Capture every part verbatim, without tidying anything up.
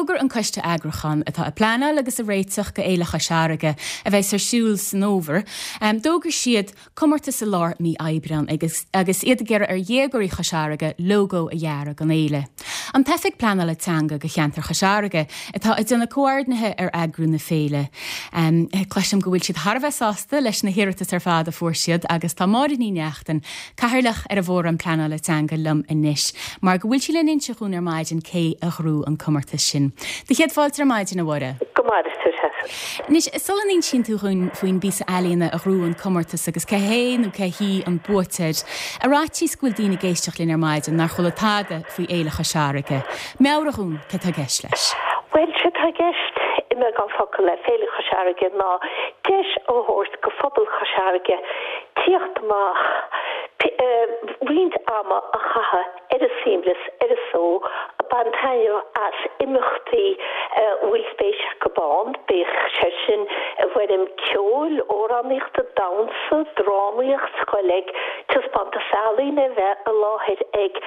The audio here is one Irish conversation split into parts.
D'fhógair an coiste eagrúcháin atá ag pleanáil agus ag réiteach go Fhéile Chois Fharraige a bheas ar siúl san fhómhar. Um, D'fhógair siad comórtas i lár mí Aibreáin agus, agus iad ag iarraidh ar dhéagóirí Chois Fharraige lógó a dhearadh don fhéile. An tOifig Pleanála Teanga go cheantar Chois Fharraige atá ag déanamh comhordnaithe ar eagrú na féile. Um, Cloisim go bhfuil siad thar a bheith sásta leis na hiarratais ar fad a fuair siad agus tá Máire Ní Neachtain cathaoirleach ar an bhFóram Pleanála Teanga liom anois, mar go bhfuil sí le n-inse dhúinn ar maidin cé a ghnóthaigh an comórtas sin. Do chéad fáilte ar maidin a Mháire. Go maire tú. Anois sula n-insíonn tú dhúinn faoin bpíosa ealaíne a ghnóthaigh an comórtas agus cé hé nó cé hí an buaiteoir. Ar fhaitíos go bhfuil daoine ag éisteacht linn ar maidin nár chuala tada faoi Fhéile Chois Fharraige. Meabhraigh dhúinn cad tá i gceist leis. Well sé tá i gceist i mbeagán focal le Féile Chois Fharraige ná deis a thabhairt go phobal Chois Fharraige tíocht amach roinnt ama a chaitheamh ar a suaimhneas ar a só baint taitneamh as imeachtaí bhfuil spéis acu ann, bíodh sé sin i bhfoirm ceoil, amhránaíochta, damhsa, drámaíocht, dul ag taispeántas ealaíne bheith i láthair ag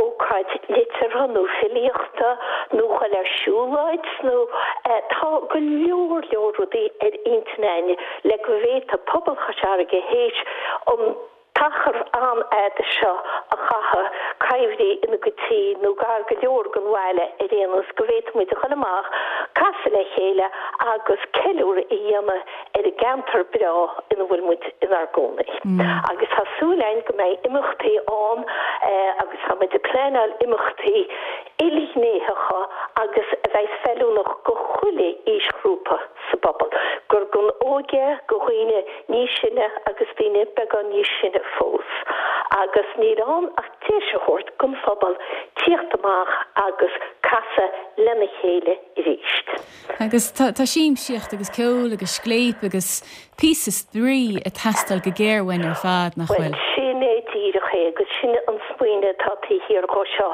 ócáid liteartha nó filíochta nó dul ar siúlóid nó tá go leor leor rudaí ar intinn againn le go bhféadfadh pobal Chois Fharraige théis an t-achar an-fhada seo a chaitheamh coimhthí ina gcuid tí nó gar go leor don bhaile ar aon nós go bhféadfaidh muid a dhul amach casadh le chéile agus ceiliúradh a dhéanamh ar an gceantar breá ina bhfuil muid inár gcónaí. Agus tá súil againn go mbeidh imeachtaí ann agus tá muid ag pleanáil imeachtaí ilghnéitheacha agus a bheidh feiliúnach go chuile aoisghrúpa sa bpobal, gur don óige go dhaoine níos sine agus daoine beagán níos sine fós. Agus níl ann ach deis a thabhairt don phobal tíocht amach agus casadh lena chéile arís. Agus tá siamsaíocht agus ceol agus scléip agus píosa spraoi ag teastáil go géar uainn ar fad nach bhfuil. Sin é díreach é agus sin an smaoineamh atá taobh thiar de seo.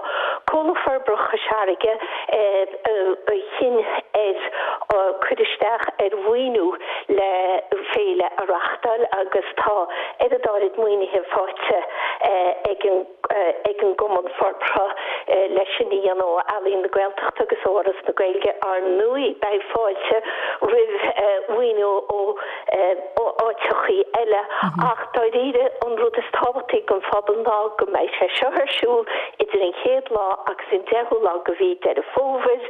Comhlacht Forbartha Chois Fharraige a chinn ar cur isteach ar mhaoiniú le féile a reáchtáil agus tá oiread áirid maoinithe faighte ag an ag an gCumann Forbartha leis sin a dhéanamh ó Ealaín na Gaeltachta agus ó Fhoras na Gaeilge ar ndóigh beidh fáilte roimh mhaoiniú ó áiteachaí eile ach dáiríre an rud is tábhachtaí don phobal ná go mbeidh sé seo ar siúl idir an chéad lá agus an deichiú lá de mhí Deireadh Fómhair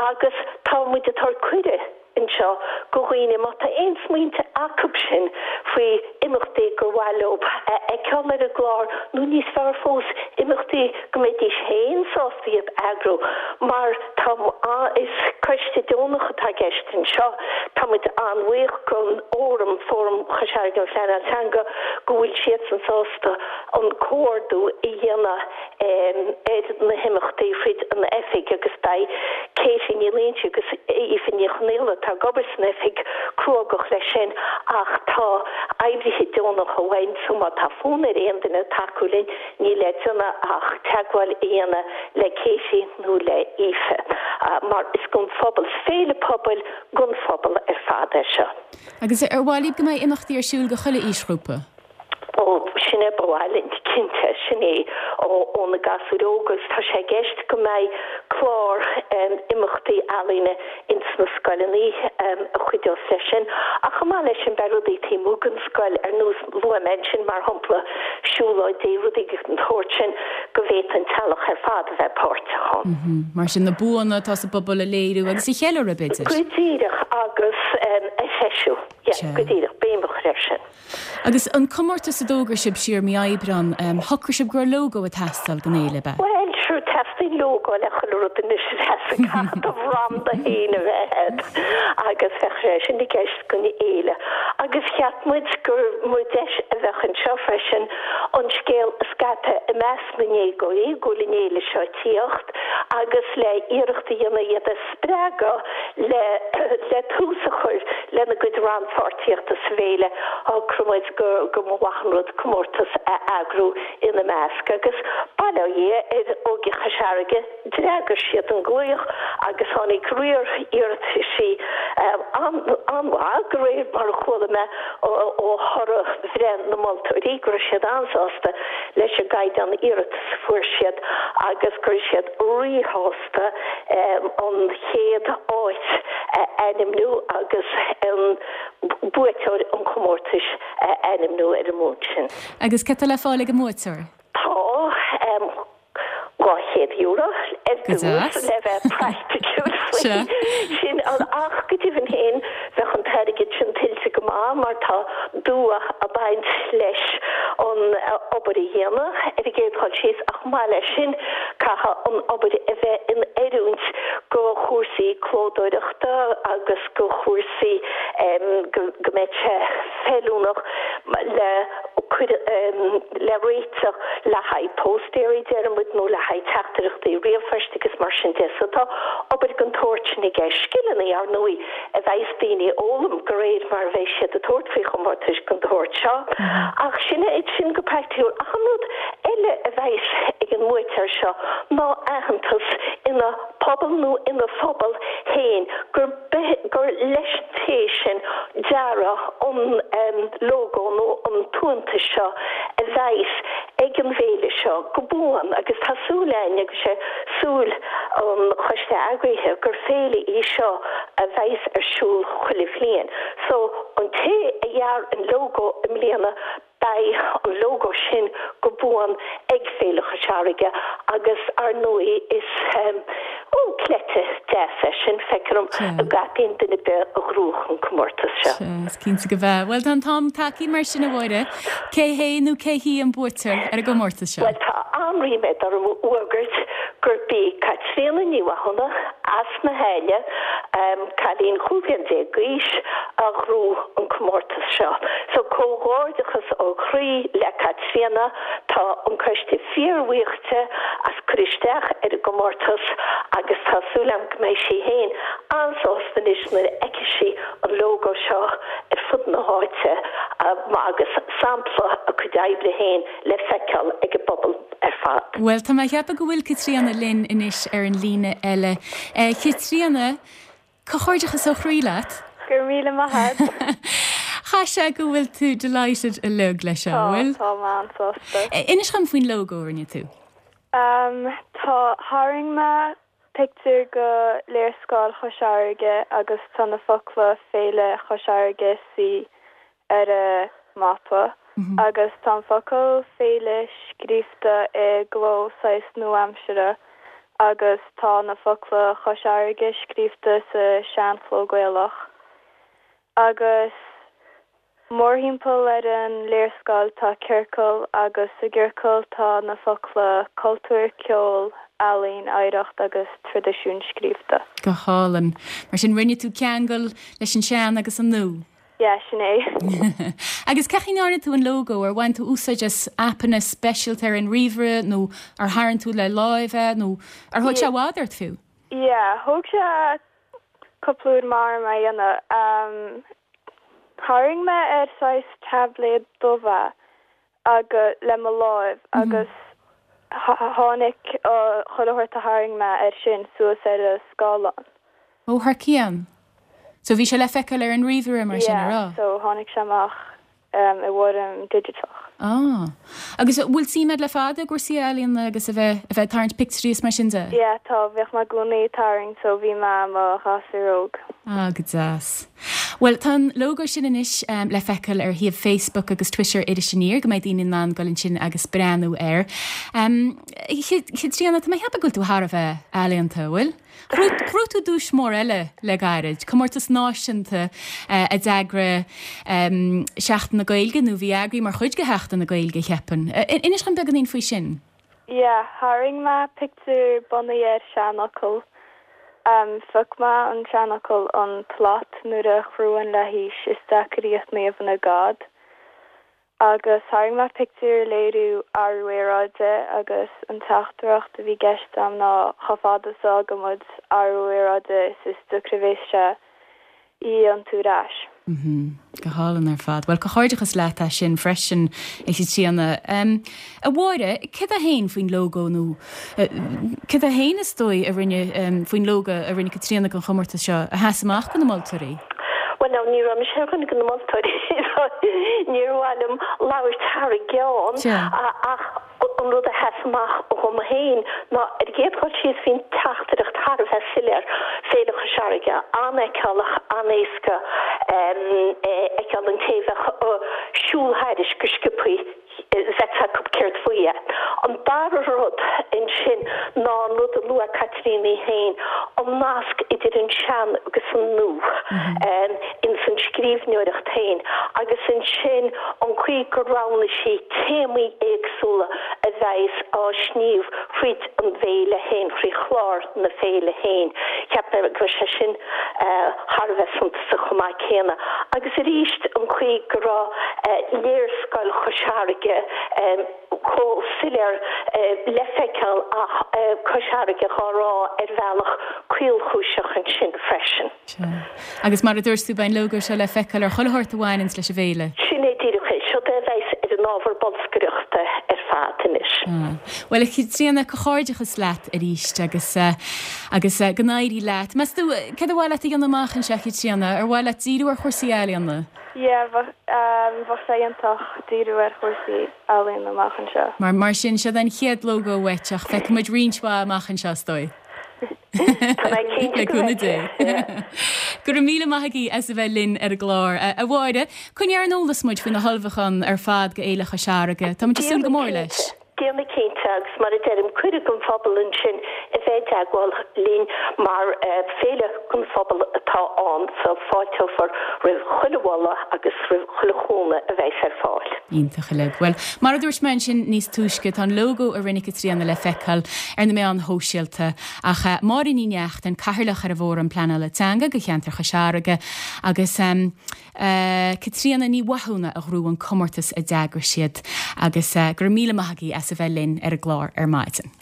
agus tá muid ag tabhairt cuireadh anseo go dhaoine má tá aon smaointe acu sin faoi imeachtaí gur mhaith leo a fheiceáil ar an gclár nó níos fearr fós imeachtaí go mbeidís féin sásta iad eagrú mar tá is coiste deonach atá i gceist anseo tá muid an-bhuíoch don fhóram Fóram Chois Fharraige um Phleanáil Teanga go bhfuil siadsan sásta an comhordú a dhéanamh ar na himeachtaí fríd an oifig agus beidh Katie Ní Loingsigh agus Aoife Ní Chonghaile atá ag obair san oifig cruógach leis sin ach tá oibrithe deonacha uainn so má tá fonn ar aon duine tacú linn níl le déanamh ach teagmháil a dhéanamh le Katie nó le Aoife mar is don phobal féile pobail don phobal ar fad é seo. Agus ar mhaith libh go mbeidh imeachtaí ar siúl go chuile aoisghrúpa? Ó sin é ba mhaith linn cinnte sin é ó na gasúir óga agus tá sé i gceist go mbeidh clár imeachtaí ealaíne ins na scoileanna a chuideos leis sin ach chomh maith leis sin beidh rudaí taobh amuigh den scoil ar nós luaigh mé ansin mar shampla siúlóidí rudaí den tsórt sin go bhféadfadh an teaghlach ar fad a bheith páirteach ann. Mar sin na buanna atá sa bpobal a léiriú agus a cheiliúradh b'fhéidir. Go díreach agus a threisiú go díreach béim a chur air sin. Agus an comórtas a d'fhógair sibh siar mí Aibreáin shocraigh sibh go raibh lógó ag teastáil don fhéile ab ea? Well sure teastaíonn lógó le chuile rud anois caithfidh do bhranda féin a bheith agat agus bheadh sé sin i gceist don fhéile. Agus cheap muid gur mó deis a bheadh anseo freisin an scéal a scaipeadh i measc na ndéagóirí go bhfuil an fhéile seo ag tíocht agus le iarracht a dhéanamh iad a spreagadh le le tús a chur lena gcuid rannpháirtíochta sa bhféile shocraigh muid go go mba mhaith an rud comórtas a eagrú ina measc agus bail ó Dhia ar Óige Chois Fharraige d'fhreagair siad an glaoch agus tháinig riar iarrataisí an-mhaith, de réir mar a chuala mé ó thoradh bhreith na moltóirí, go raibh siad an-sásta leis an gcaighdeán iarratas a fuair siad agus go raibh siad ríshásta an chéad áit a ainmniú agus an buaiteoir an chomórtais a ainmniú ar an mbonn sin. Agus cad tá le fáil ag an mbuaiteoir? Tá dhá chéad euro ar dtús le bheith praiticiúil faoi sin ach go deimhin féin bheadh an t-airgead sin tuillte go maith mar tá dua ag baint leis an obair a dhéanamh ar an gcéad dul síos ach chomh maith leis sin caithfidh an obair a bheith in oiriúint go chúrsaí clódóireachta agus go chúrsaí go mbeidh sé feiliúnach le le réiteach le haghaidh póstaeirí, deir muid, nó le haghaidh teachtaireachtaí ríomhphoist agus mar sin de. So tá obair den tsórt sin i gceist. Scileanna, ar ndóigh, a bheas daoine a fhoghlaim de réir mar a bheidh siad ag tabhairt faoi chomórtais den tsórt seo. Ach sin é sin go praiticiúil. Ach an rud eile a bheas ag an mbuaiteoir seo ná aitheantas ina pobal nó ina phobal féin gur gur leis an té sin dearadh an lógó nó an t-aitheantas seo a bheas ag an bhféile seo go buan agus tá súil againn agus sé súil an choiste eagraithe gur féile í seo a bheas ar siúl chuile bhliain. So an té a dhear an lógó i mbliana beidh an lógó sin go buan ag Féile Chois Fharraige agus ar ndóigh is ó cleite deas é sin, feictear dom, a gcaithfidh duine ar bith a ghnóthaigh an comórtas seo. Sea, is cinnte go bhfeadh. Bhuel, tá an t-am tagtha mar sin a Mháire. Cé hé nó cé hí an buaiteoir ar an gcomórtas seo? Bhuel, tá an-ríméad orm a fhógairt gurb í Caitríona Ní Mhathúna as na hAille, cailín chúig bhliain déag d'aois, a ghnóthaigh an comórtas seo. So, comhghairdeachas ó chroí le Caitríona. Tá an coiste fíorbhuíoch di as cur isteach ar an gcomórtas agus tá súil agam go mbeidh sí féin an-sásta anois nuair a fheicfidh sí an lógó seo ar fud na háite agus sampla a cuid oibre féin le feiceáil ag an bpobal ar fad. Bhuel, tá mé ag ceapadh go bhfuil Caitríona linn anois ar an líne eile. Caitríona, comhghairdeachas ó chroí leat. Go raibh míle maith agat. Chaith sé go bhfuil tú delighted uilig leis seo, bhfuil? Tá, tá mé an-sásta. Inis dom faoin lógó a rinne tú. Um, tá, tharraing mé pictiúr go léarscáil Chois Fharraige agus tá na focla Féile Chois Fharraige C ar a mapa agus tá an focal féile scríofa i gcló saghas nua-aimseartha agus tá na focla Chois Fharraige scríofa sa seanchló Gaelach. Agus mórthimpeall ar an léarscáil tá ciorcal agus sa gciorcal tá na focla cultúr, ceol, ealaín, oidhreacht agus traidisiún scríofa. Go hálainn. Mar sin rinne tú ceangal leis an sean agus an nua. Yeah, sin é. Agus cén chaoi a ndearna tú an lógó ar bhain tú úsáid as aipeanna speisialta ar an ríomhaire nó ar tharraing tú le láimh é nó ar thóg sé i bhfad ort fiú? Yeah, thóg sé cúpla uair mar a dhéanamh. Um, tharraing mé ar saghas táibléad dubh agus le mo láimh agus tháinig chuile shórt a tharraing mé air sin suas ar a scáileán. Ó thar cionn. So bhí sé le feiceáil ar an ríomhaire mar sin Yeah, ará? so tháinig sé amach um, i bhfoirm digiteach. Ah. Agus bhfuil suim agat le fada i gcúrsaí ealaíona agus a bheith a bheith tarraingt pictiúirí is mar sin de? Yeah, tá bhíodh mé i gcónaí ag tarraingt so bhí mé mo ghasúr óg. Ah, go deas. Well, tá an lógó sin anois um, le feiceáil ar shuíomh Facebook agus Twitter Iris Aniar go mbeidh daoine in ann dul ansin agus breathnú air. Um, Caitríona, tá mé ag ceapadh go bhfuil tú thar a bheith ealaíonta, bhfuil? Ghnóthaigh tú duais mór eile le gairid, comórtas náisiúnta uh, a d'eagraigh um, Seachtain na Gaeilge nó bhí eagraithe mar chuid de Sheachtain na Gaeilge cheapfainn. Uh, Inis dom beagáinín faoi sin. Yeah, tharraing mé pictiúr bunaithe ar seanfhocal. Um, phioc mé an seanfhocal an tslat nuair a chruann le haois is deacair í a shníomh ina gad. Agus tharraing mé pictiúr léiriú athrú aeráide agus an teachtaireacht a bhí i gceist agam ná chomh fada is a fhágann muid athrú aeráide is is deacra a bheas sé í iontú ar ais. Mm -hmm. Go hálainn ar fad. Well comhghairdeachas leat as sin freisin a Chaitríona. Um, a Mháire, cad é féin faoin lógó nó uh, cad é féin is dóigh a rinne um, faoin lógó a rinne Caitríona don chomórtas seo a sheas amach do na moltóirí? Bhuel now ní raibh mise ar dhuine de na moltóirí so níor mhaith liom labhairt thar a gceann ach an rud a sheas amach dhom féin ná ar an gcéad dhul síos bhí an teachtaireacht thar a bheith soiléir, Féile Chois Fharraige, an-fheiceálach, an-éasca fheiceáil an té a bheadh ag siúl thairis go sciobthaí. bheadh a fhios acu céard faoi é. An dara rud ansin ná an rud a luaigh Caitríona í féin, an nasc idir an sean agus an nua ins an scríbhneoireacht féin agus ansin an chaoi gur roghnaigh sí téamaí éagsúla a bheas á sníomh fríd an bhféile féin, frí chlár na féile féin. Cheap mé go raibh sé sin thar a bheith suntasach chomh maith céanna. Agus arís an chaoi go raibh léarscáil Chois Fharraige chomh soiléir le feiceáil ach Cois Fharraige dhá rá ar bhealach caolchúiseach ansin freisin. Sea. Agus mar a dúirt tú, beidh an lógó seo le feiceáil ar chuile shórt a bhaineanns leis an bhféile. Sin é díreach é. Seod é a bheas ar an ábhar bolscaireachta ar fad anois. Bhuel, a Chaitríona, comhghairdeachas leat arís agus agus go n-éirí leat. Meas tú, céard ar mhaith leat a dhéanamh amach anseo, a Chaitríona? Ar mhaith leat díriú ar chúrsaí ealaíona? Yeah, bheadh bheadh sé iontach díriú ar chúrsaí ealaíona amach anseo. Mar mar sin, seod an chéad lógó uait ach feicfidh muid roinnt mhaith amach anseo, is dóigh. Tá mé cinnte Le go cúnamh Dé. bhfeicfidh. Go raibh míle maith agaibh as a bheith linn ar an gclár. A Mháire, coinnigh ar an eolas muid faoi na hullmhúcháin ar fad go Fhéile Chois Fharraige. Tá muid ag súil go Déanfaidh mór leis. cinnte. Déanfaidh cinnte, agus mar a deirim, cuireadh don phobal ansin a bheith i dteagmháil linn mar féile don phobal atá ann so fáilteofar roimh chuile mholadh agus roimh chuile chúnamh a bheas ar fáil. Iontach uilig. Bhuel, mar a dúirt mé ansin níos túisce, tá an lógó a rinne Caitríona le feiceáil ar na meáin shóisialta ach Máire Ní Neachtain, Cathaoirleach ar an bhFóram Pleanála Teanga do cheantar Chois Fharraige agus Caitríona Ní Mhathúna a ghnóthaigh an comórtas a d'eagraigh siad agus go raibh míle maith agaibh as a bheith linn ar an gclár ar maidin.